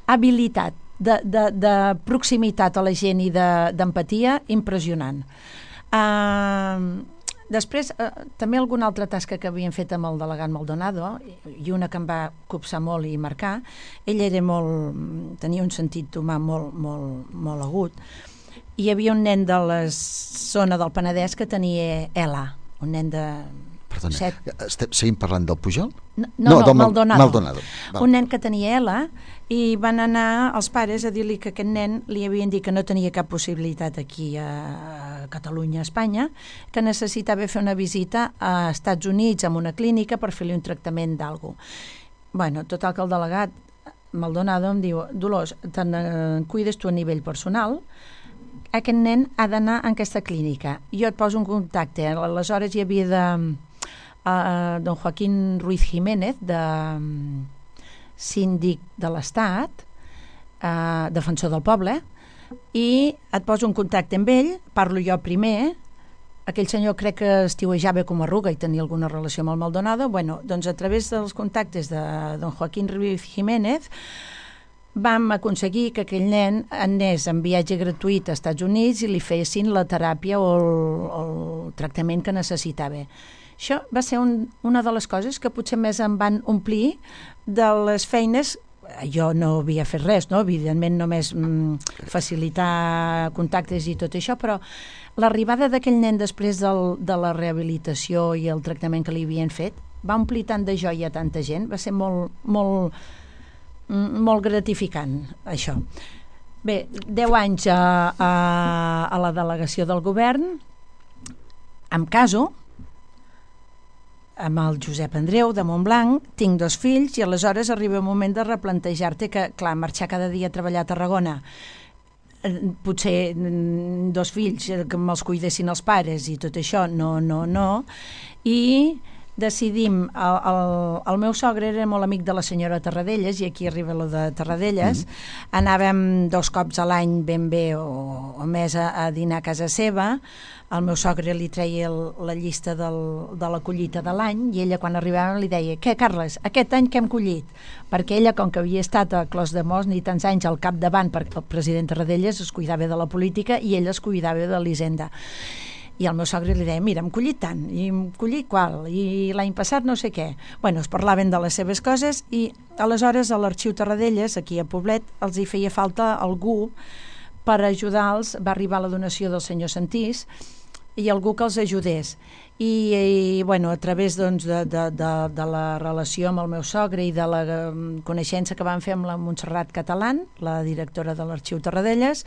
habilitat de, de, de proximitat a la gent i d'empatia de, impressionant. Uh, després, uh, també alguna altra tasca que havien fet amb el delegat Maldonado, i una que em va copsar molt i marcar. Ell era molt, tenia un sentit humà molt, molt, molt agut. Hi havia un nen de la zona del Penedès que tenia E L A, un nen de... Perdona, set... estem, seguim parlant del Pujol? No, no, no Maldonado. Maldonado. Un nen que tenia E L A, i van anar els pares a dir-li que aquest nen li havien dit que no tenia cap possibilitat aquí a Catalunya, a Espanya, que necessitava fer una visita a Estats Units amb una clínica per fer-li un tractament d'algú. Bueno, total que el delegat Maldonado em diu, Dolors, te'n eh, cuides tu a nivell personal, aquest nen ha d'anar en aquesta clínica, jo et poso un contacte. Aleshores hi havia de uh, don Joaquín Ruiz Jiménez, de um, síndic de l'Estat, uh, defensor del poble, i et poso un contacte amb ell, parlo jo primer, aquell senyor crec que estiuejava com a Arruga i tenia alguna relació amb el Maldonado. Bueno, doncs a través dels contactes de don Joaquín Ruiz Jiménez vam aconseguir que aquell nen anés en viatge gratuït a Estats Units i li fessin la teràpia o el, el tractament que necessitava. Això va ser un, una de les coses que potser més em van omplir de les feines. Jo no havia fet res, no? Evidentment només mm, facilitar contactes i tot això, però l'arribada d'aquell nen després del, de la rehabilitació i el tractament que li havien fet va omplir tant de joia a tanta gent, va ser molt, molt, molt gratificant, això. Bé, deu anys a, a, a la delegació del govern, em caso, amb el Josep Andreu de Montblanc, tinc dos fills i aleshores arriba un moment de replantejar-te que, clar, marxar cada dia a treballar a Tarragona, potser dos fills que me'ls cuidessin els pares i tot això, no, no, no, i decidim, el, el, el meu sogre era molt amic de la senyora Tarradellas, i aquí arriba lo de Tarradellas, mm. anàvem dos cops a l'any ben bé o, o més a, a dinar a casa seva. El meu sogre li treia el, la llista del, de la collita de l'any i ella quan arribava li deia: què, Carles, aquest any què hem collit? Perquè ella, com que havia estat a Clos de Mos ni tants anys al capdavant, perquè el president Tarradellas es cuidava de la política i ella es cuidava de l'Hisenda. I el meu sogre li deia: mira, hem collit tant, i hem collit qual, i l'any passat no sé què. Bueno, es parlaven de les seves coses i aleshores a l'Arxiu Tarradellas, aquí a Poblet, els hi feia falta algú per ajudar-los. Va arribar la donació del senyor Santís i algú que els ajudés. I, i bueno, a través doncs, de, de, de, de la relació amb el meu sogre i de la coneixença que vam fer amb la Montserrat Catalán, la directora de l'Arxiu Tarradellas,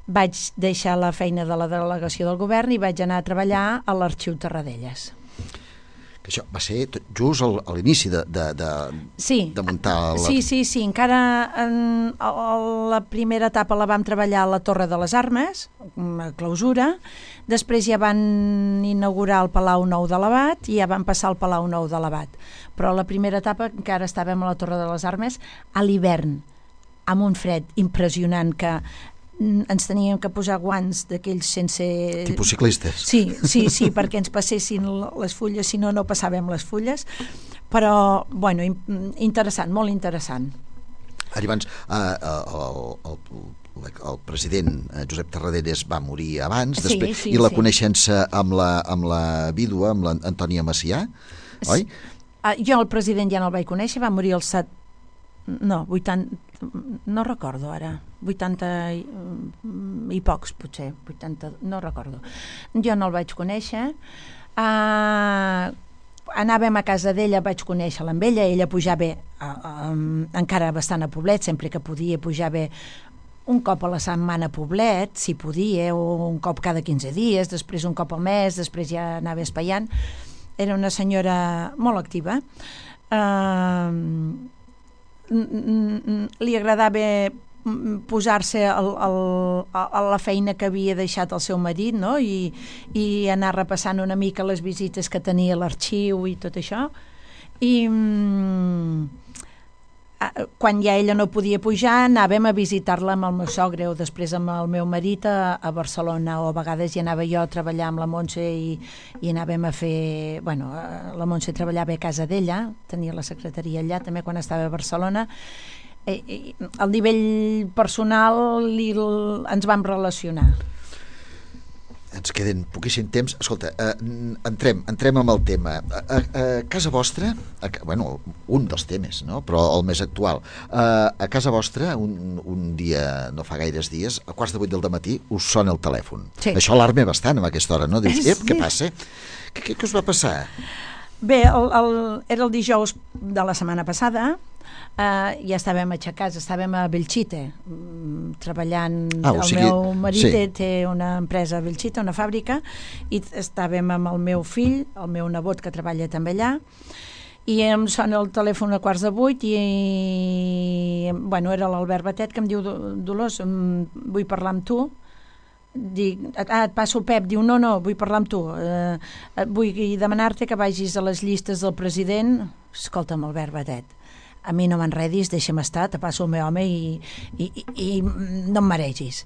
vaig deixar la feina de la delegació del govern i vaig anar a treballar a l'Arxiu Tarradellas. Que això va ser tot just al, a l'inici de, de, de, sí. de muntar... La... Sí, sí, sí. Encara en, a, a la primera etapa la vam treballar a la Torre de les Armes, a clausura. Després ja van inaugurar el Palau Nou de l'Abat i ja van passar al Palau Nou de l'Abat. Però la primera etapa encara estàvem a la Torre de les Armes a l'hivern, amb un fred impressionant que ens teníem que posar guants d'aquells sense... Tipus ciclistes. Sí, sí, sí, perquè ens passessin les fulles, si no, no passàvem les fulles. Però, bueno, interessant, molt interessant. Ara abans, eh, el, el, el president Josep Tarradellas va morir abans, sí, després, sí, i la sí. coneixença amb la, amb la vídua, amb l'Antònia Macià, oi? Uh, jo el president ja no el vaig conèixer, va morir el set... No, vuitanta... No recordo ara, vuitanta i, i pocs potser, vuitanta, no recordo. Jo no el vaig conèixer. Uh, anàvem a casa d'ella, vaig conèixer-la amb ella, ella pujava uh, um, encara bastant a Poblet, sempre que podia pujava un cop a la setmana a Poblet, si podia, o un cop cada quinze dies, després un cop al mes, després ja anava espaiant. Era una senyora molt activa. Uh, li agradava posar-se al, al, a la feina que havia deixat el seu marit, no? I, i anar repassant una mica les visites que tenia a l'arxiu i tot això. I quan ja ella no podia pujar anàvem a visitar-la amb el meu sogre o després amb el meu marit a, a Barcelona, o a vegades hi anava jo a treballar amb la Montse i, i anàvem a fer, bueno, la Montse treballava a casa d'ella, tenia la secretaria allà també quan estava a Barcelona. I, i, al nivell personal li, ens vam relacionar. Ens queden poquíssim temps. Escolta, eh, entrem, entrem amb el tema. A, a, a casa vostra, a, bueno, un dels temes, no? Però el més actual. A, a casa vostra, un, un dia, no fa gaires dies, a quarts de vuit del dematí, us sona el telèfon. Sí. Això alarma bastant a aquesta hora, no? Dius, ep, sí. Què passa? Què, què, què us va passar? Bé, el, el, era el dijous de la setmana passada, uh, ja estàvem aixecats, estàvem a Belchite, treballant, ah, o sigui, el meu marit sí. té una empresa a Belchite, una fàbrica, i estàvem amb el meu fill, el meu nebot que treballa també allà, i em sona el telèfon a quarts de vuit i, bueno, era l'Albert Batet que em diu, Dolors, vull parlar amb tu. Dic, ah, et passo el Pep. Diu, no, no, vull parlar amb tu, eh, vull demanar-te que vagis a les llistes del president. Escolta'm, Albert Batet, a mi no m'enredis, deixa'm estar, te passo el meu home i, i, i, i no em maregis.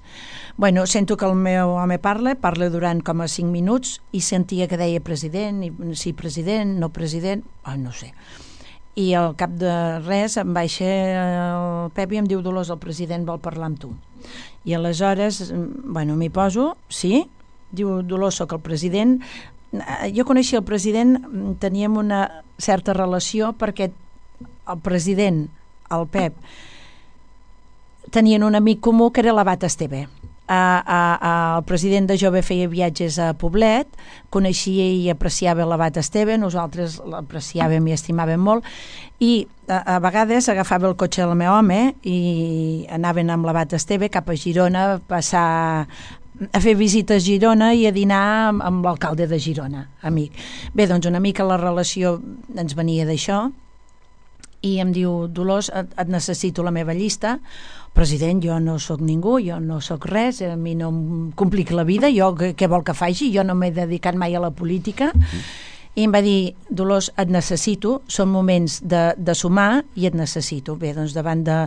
Bueno, sento que el meu home parla, parla durant com a cinc minuts i sentia que deia president, i, sí president, no president, oh, no sé. I al cap de res em baixa el Pep i em diu Dolors, el president vol parlar amb tu. I aleshores, bueno, m'hi poso, sí, diu Dolors, soc el president. Jo coneixia el president, teníem una certa relació perquè el president, el Pep, tenien un amic comú que era l'abat Esteve. A, a, a, el president de Jove feia viatges a Poblet, coneixia i apreciava l'abat Esteve, nosaltres l'apreciàvem i estimàvem molt, i a, a vegades agafava el cotxe del meu home i anaven amb l'abat Esteve cap a Girona a passar a fer visites a Girona i a dinar amb, amb l'alcalde de Girona, amic. Bé, doncs una mica la relació ens venia d'això i em diu, Dolors, et, et necessito la meva llista. President, jo no sóc ningú, jo no sóc res, a mi no em complica la vida, jo què vol que faci? Jo no m'he dedicat mai a la política. Mm. I em va dir, Dolors, et necessito, són moments de, de sumar i et necessito. Bé, doncs davant de,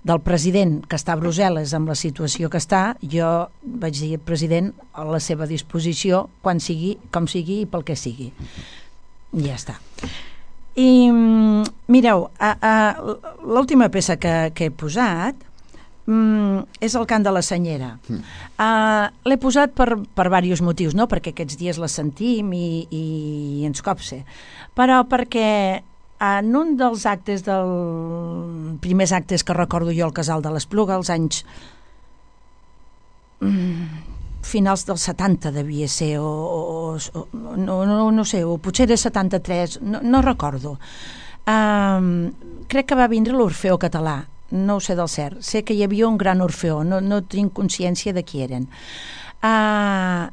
del president que està a Brussel·les amb la situació que està, jo vaig dir, president, a la seva disposició, quan sigui, com sigui i pel que sigui. I ja està. I mireu, a, a, l'última peça que, que he posat Mm, és el cant de la senyera. Mm. Uh, l'he posat per, per diversos motius, no perquè aquests dies la sentim i, i ens copse, però perquè en un dels actes dels primers actes que recordo jo al Casal de l'Espluga, als anys mm, finals dels setanta devia ser o, o, o no, no, no sé, o potser era setanta-tres, no, no recordo. Uh, crec que va vindre l'Orfeó Català, no ho sé del cert, sé que hi havia un gran orfeó, no, no tinc consciència de qui eren. Uh,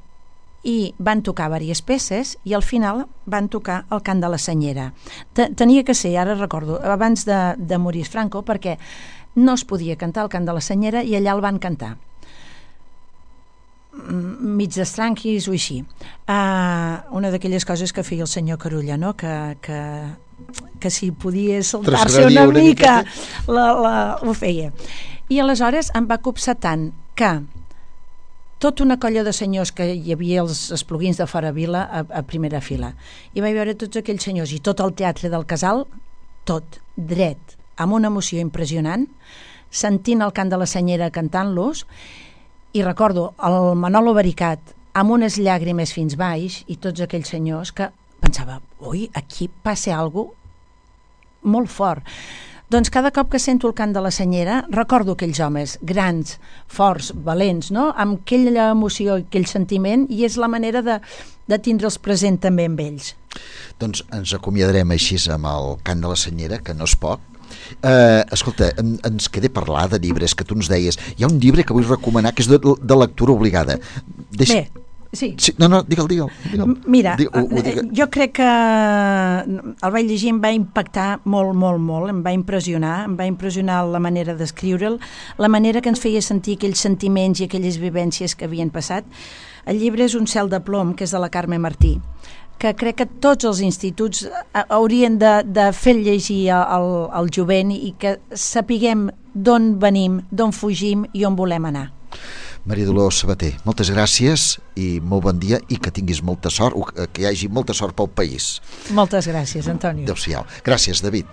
I van tocar diverses peces i al final van tocar el cant de la senyera. Tenia que ser, ara recordo, abans de, de morir Franco, perquè no es podia cantar el cant de la senyera i allà el van cantar. Mig d'estranquis o així. Uh, una d'aquelles coses que feia el senyor Carulla, no? que... que que si podia saltar-se una, una mica, mica la, la, ho feia. I aleshores em va copsar tant que tota una colla de senyors que hi havia els espluguins de fora vila a, a primera fila, i vaig veure tots aquells senyors i tot el teatre del Casal, tot dret, amb una emoció impressionant, sentint el cant de la senyera cantant-los, i recordo el Manolo Baricat amb unes llàgrimes fins baix i tots aquells senyors que pensava, ui, aquí passa alguna cosa molt fort. Doncs cada cop que sento el cant de la senyera recordo aquells homes grans, forts, valents, no? Amb aquella emoció, aquell sentiment, i és la manera de, de tindre'ls present també amb ells. Doncs ens acomiadarem així amb el cant de la senyera, que no és poc. Eh, escolta, en, ens queda parlar de llibres que tu ens deies. Hi ha un llibre que vull recomanar que és de, de lectura obligada. Deixa... Bé, sí. sí. No, no, digue'l, digue'l. digue'l. Mira, Digue, ho, ho digue... jo crec que el vaig llegir, em va impactar molt, molt, molt, em va impressionar, em va impressionar la manera d'escriure'l, la manera que ens feia sentir aquells sentiments i aquelles vivències que havien passat. El llibre és Un cel de plom, que és de la Carme Martí, que crec que tots els instituts haurien de, de fer llegir al, al jovent i que sapiguem d'on venim, d'on fugim i on volem anar. Maria Dolors Sabater, moltes gràcies i molt bon dia i que tinguis molta sort, que hi hagi molta sort pel país. Moltes gràcies, Antonio. Adéu-siau. Gràcies, David.